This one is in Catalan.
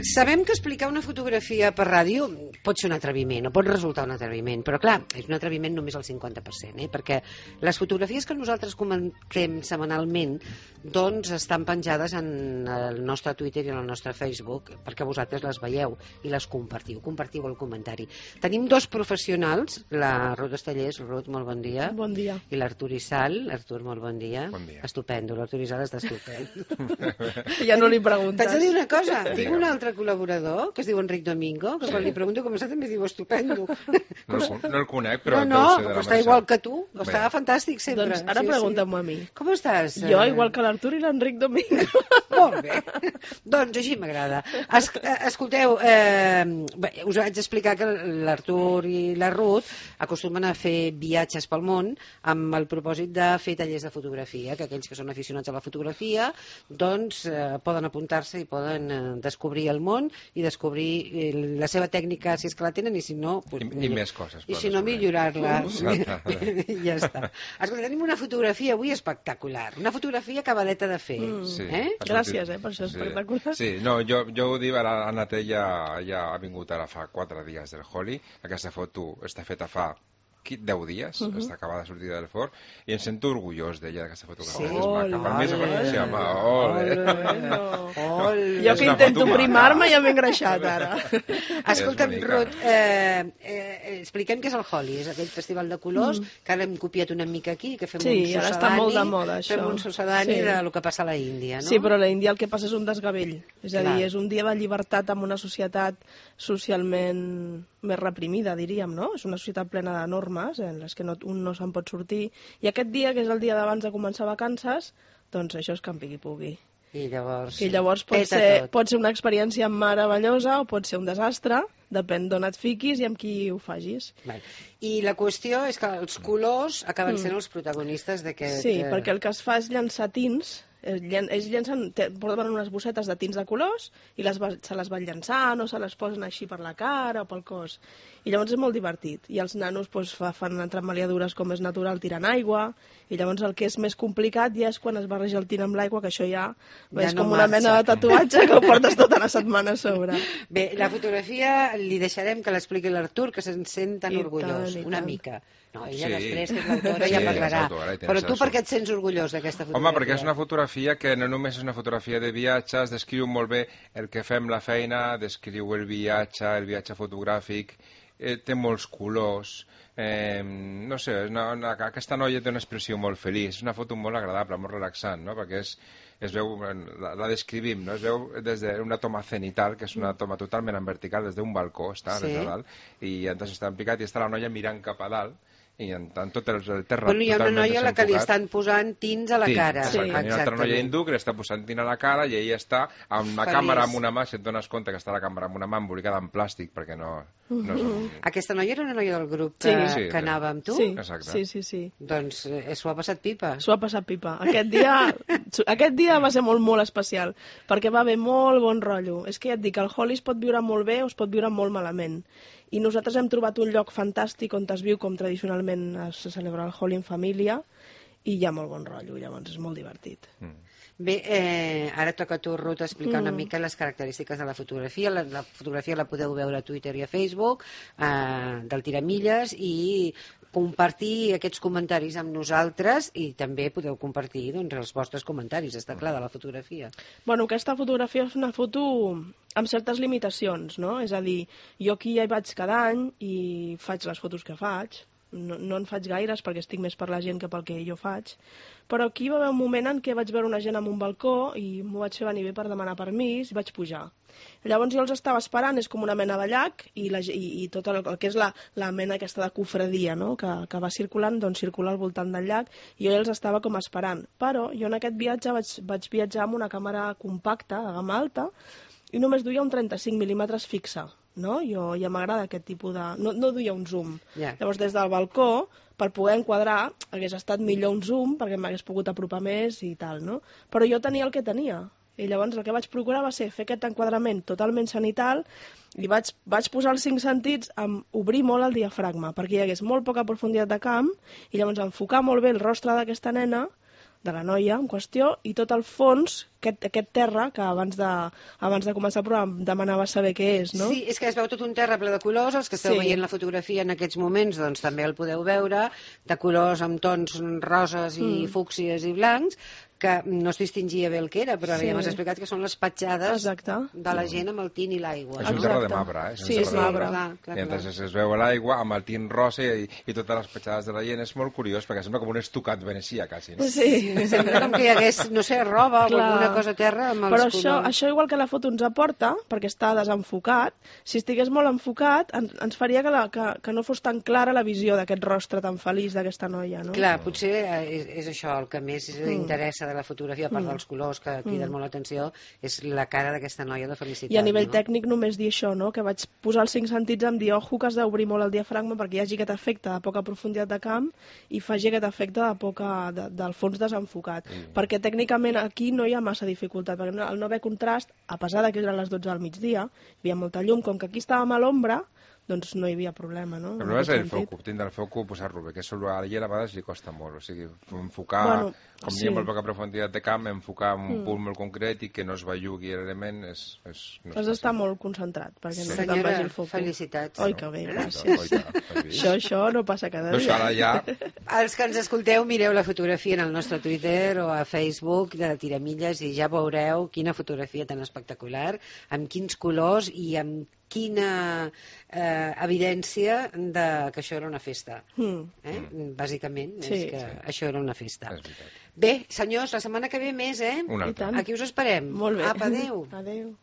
Sabem que explicar una fotografia per ràdio pot ser un atreviment, o pot resultar un atreviment, però clar, és un atreviment només al 50%, perquè les fotografies que nosaltres comentem setmanalment doncs estan penjades en el nostre Twitter i en el nostre Facebook, perquè vosaltres les veieu i les compartiu el comentari. Tenim dos professionals, la Ruth Estellers. Ruth, molt bon dia. Bon dia. I l'Artur Issal. Artur, molt bon dia. Bon dia. Estupendo, l'Artur Issal està estupendo. Ja no li preguntes. T'haig de dir una cosa, tinc un altre col·laborador que es diu Enric Domingo, que quan li pregunto com està també diu estupendo. No el conec, però no, deu ser de la però està Mercè. igual que tu, està fantàstic sempre. Doncs ara pregunta'm a mi. Com estàs? Jo, igual que l'Artur i l'Enric Domingo. Molt bé. Doncs així m'agrada. Escolteu, us vaig explicar que l'Artur i la Ruth acostumen a fer viatges pel món amb el propòsit de fer tallers de fotografia, que aquells que són aficionats a la fotografia doncs poden apuntar-se i poden descobrir el món i descobrir la seva tècnica, si és que la tenen, i si no... I més coses. I si no, millorar-la. Ja està. Escolta, tenim una fotografia avui espectacular. Una fotografia acabadeta de fer. Sí, Gràcies, per això és espectacular. Sí, no, jo ho dic, ara la Nat ja ha vingut ara fa 4 dies del Holi. Aquesta foto està feta fa 10 dies, està acabada de sortir del forn, i em sento orgullós d'ella, d'aquesta fotografia. Per mi és una Jo que intento primar-me ja m'he engreixat ara. Escolta'm, Ruth, expliquem què és el Holi. És aquell festival de colors que ara hem copiat una mica aquí, que fem un sucedani. Sí, ara està molt de moda, això. Fem un sucedani del que passa a la Índia, no? Sí, però a la Índia el que passa és un desgavell. És a dir, és un dia de llibertat en una societat socialment més reprimida, diríem, no? És una societat plena de normes en les que un no se'n pot sortir. I aquest dia, que és el dia d'abans de començar vacances, doncs això és campi qui pugui. I llavors pot ser una experiència meravellosa o pot ser un desastre, depèn d'on et fiquis i amb qui ho facis. I la qüestió és que els colors acaben sent els protagonistes d'aquest... Sí, perquè el que es fa és llançar tints. Ells porten unes bossetes de tints de colors i se les van llançant o se les posen així per la cara o pel cos. I llavors és molt divertit. I els nanos fan entremaliadures com és natural tirant aigua, i llavors el que és més complicat ja és quan es barreja el tint amb l'aigua, que això ja és com una mena de tatuatge que ho portes tota la setmana a sobre. Bé, la fotografia li deixarem que l'expliqui l'Artur, que se'n sent tan orgullós, una mica. No, ella després, que és l'autora, ja parlarà. Però tu per què et sents orgullós d'aquesta fotografia? Home, perquè és una fotografia que no només és una fotografia de viatges, descriu molt bé el que fem la feina, descriu el viatge fotogràfic, té molts colors, no sé, aquesta noia té una expressió molt feliç, és una foto molt agradable, molt relaxant, no? Perquè es veu, la descrivim, no? Es veu des d'una toma cenital, que és una toma totalment en vertical, des d'un balcó, està des de dalt, i entonces està en picat i està la noia mirant cap a dalt, i en tant tot el terra bueno, hi ha una noia a la que li estan posant tints a la cara. Sí, hi ha una altra noia hindú que li està posant tint a la cara i ella està amb la càmera amb una mà, si et dones compte que està la càmera amb una mà embolicada en plàstic, perquè no Aquesta noia era una noia del grup que anava amb tu? Sí. Doncs s'ho ha passat pipa. S'ho ha passat pipa. Aquest dia va ser molt especial, perquè va haver molt bon rotllo. És que ja et dic, el Holi es pot viure molt bé o es pot viure molt malament. I nosaltres hem trobat un lloc fantàstic on es viu com tradicionalment es celebra el Holi en família, i hi ha molt bon rotllo, llavors és molt divertit. Bé, ara toca a tu, Ruth, explicar una mica les característiques de la fotografia. La fotografia la podeu veure a Twitter i a Facebook, del Tiramilles, i compartir aquests comentaris amb nosaltres, i també podeu compartir els vostres comentaris, està clar, de la fotografia. Bueno, aquesta fotografia és una foto amb certes limitacions, no? És a dir, jo aquí ja hi vaig cada any i faig les fotos que faig. No en faig gaires perquè estic més per la gent que pel que jo faig, però aquí va haver un moment en què vaig veure una gent en un balcó i m'ho vaig fer venir bé per demanar permís i vaig pujar. Llavors jo els estava esperant, és com una mena de llac, i tot el que és la mena aquesta de cofradia, no? que va circulant, doncs circula al voltant del llac, i jo els estava com esperant. Però jo en aquest viatge vaig viatjar amb una càmera compacta, de gamma alta, i només duia un 35 mil·límetres fixa. No? Jo ja m'agrada aquest tipus de... No duia un zoom. Llavors, des del balcó, per poder enquadrar, hagués estat millor un zoom, perquè m'hagués pogut apropar més i tal, no? Però jo tenia el que tenia. I llavors el que vaig procurar va ser fer aquest enquadrament totalment cenital i vaig posar els 5 sentits amb obrir molt el diafragma, perquè hi hagués molt poca profunditat de camp, i llavors enfocar molt bé el rostre d'aquesta nena, de la noia en qüestió, i tot el fons, aquest terra, que abans de començar el programa demanava saber què és, no? Sí, és que es veu tot un terra ple de colors, els que esteu veient la fotografia en aquests moments doncs també el podeu veure, de colors amb tons roses i fúcsies i blancs, que no es distingia bé el que era, però ja m'has explicat que són les petjades de la gent amb el tint i l'aigua. És un terra de marbre, eh? Sí, és marbre. I entonces es veu l'aigua amb el tint rosa i totes les petjades de la gent. És molt curiós, perquè sembla com un estucat venecià, quasi. No? Sí. Sembla com que hi hagués, no sé, roba o alguna cosa a terra amb els colors. Però això igual que la foto ens aporta, perquè està desenfocat, si estigués molt enfocat, ens faria que no fos tan clara la visió d'aquest rostre tan feliç d'aquesta noia, no? Clar, potser és això el que més interessa de la fotografia, a part dels colors que criden molt l'atenció, és la cara d'aquesta noia de felicitat. I a nivell tècnic només dir això, no? Que vaig posar els 5 sentits en dir, ojo, que has d'obrir molt el diafragma perquè hi hagi aquest efecte de poca profunditat de camp i faci aquest efecte del fons desenfocat. Perquè tècnicament aquí no hi ha massa dificultat, perquè al no haver contrast, a pesar que eren les 12 del migdia, hi havia molta llum, com que aquí estàvem a l'ombra, doncs no hi havia problema, no? El problema és el foco, tindre el foco, posar-lo bé, que això a la gent a vegades li costa molt, o sigui, enfocar, com hi ha molt poca profunditat de camp, enfocar un punt molt concret i que no es bellugui l'element és has d'estar molt concentrat, perquè no te'n vagi el foco. Felicitats. Oi, que bé, gràcies. Això no passa cada dia. Ara ja... Els que ens escolteu, mireu la fotografia en el nostre Twitter o a Facebook de Tiramilles i ja veureu quina fotografia tan espectacular, amb quins colors i amb quina evidència que això era una festa. Bàsicament, és que això era una festa. Bé, senyors, la setmana que ve més, eh? Una altra. Aquí us esperem. Molt bé. Apa, adéu. Adéu.